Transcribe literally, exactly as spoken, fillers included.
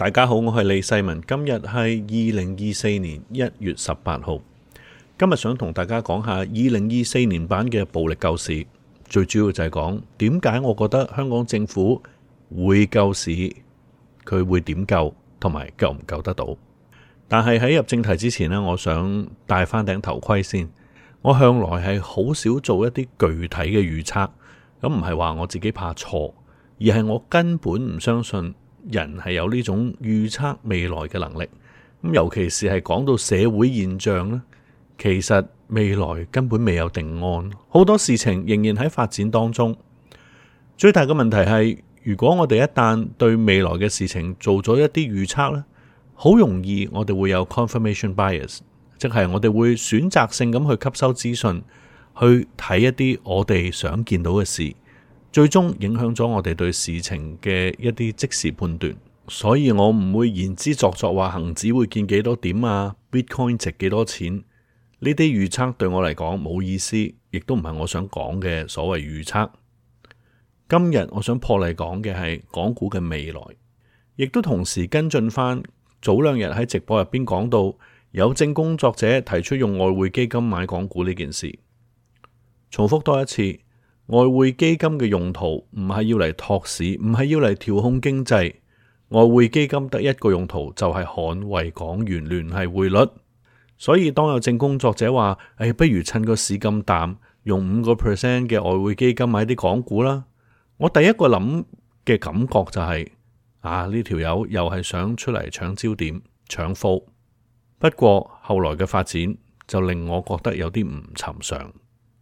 大家好，我係李世民。今日係二零二四年一月十八號。今日想同大家講下二零二四年版嘅暴力救市，最主要就係講點解我覺得香港政府會救市，佢會點救，同埋救唔救得到。但係喺入正題之前呢，我想戴翻頂頭盔先。我向來係好少做一啲具體嘅預測，咁唔係話我自己怕錯，而係我根本唔相信人係有呢種預測未來嘅能力。咁尤其是係講到社會現象呢，其實未來根本未有定案，好多事情仍然喺發展當中。最大嘅問題係，如果我哋一旦對未來嘅事情做咗一啲預測呢，好容易我哋會有 confirmation bias， 即係我哋會選擇性咁去吸收資訊，去睇一啲我哋想見到嘅事，最終影響咗我哋對事情嘅一啲即時判斷。所以我唔會言之鑿鑿話恒指會見幾多點啊， Bitcoin 值幾多錢，呢啲預測對我嚟講冇意思，亦都唔係我想講嘅所謂預測。今日我想破例講嘅係港股嘅未來，亦都同時跟進翻早兩日喺直播入邊講到有證工作者提出用外匯基金買港股呢件事。重複多一次，外匯基金嘅用途唔係要嚟托市，唔係要嚟調控經濟。外匯基金得一個用途，就係捍衛港元聯繫匯率。所以當有證工作者話，誒、哎，不如趁個市咁淡，用五個 percent 嘅外匯基金買啲港股啦。我第一個諗嘅感覺就係、是，啊，呢條友又係想出嚟搶焦點、搶貨。不過後來嘅發展就令我覺得有啲唔尋常。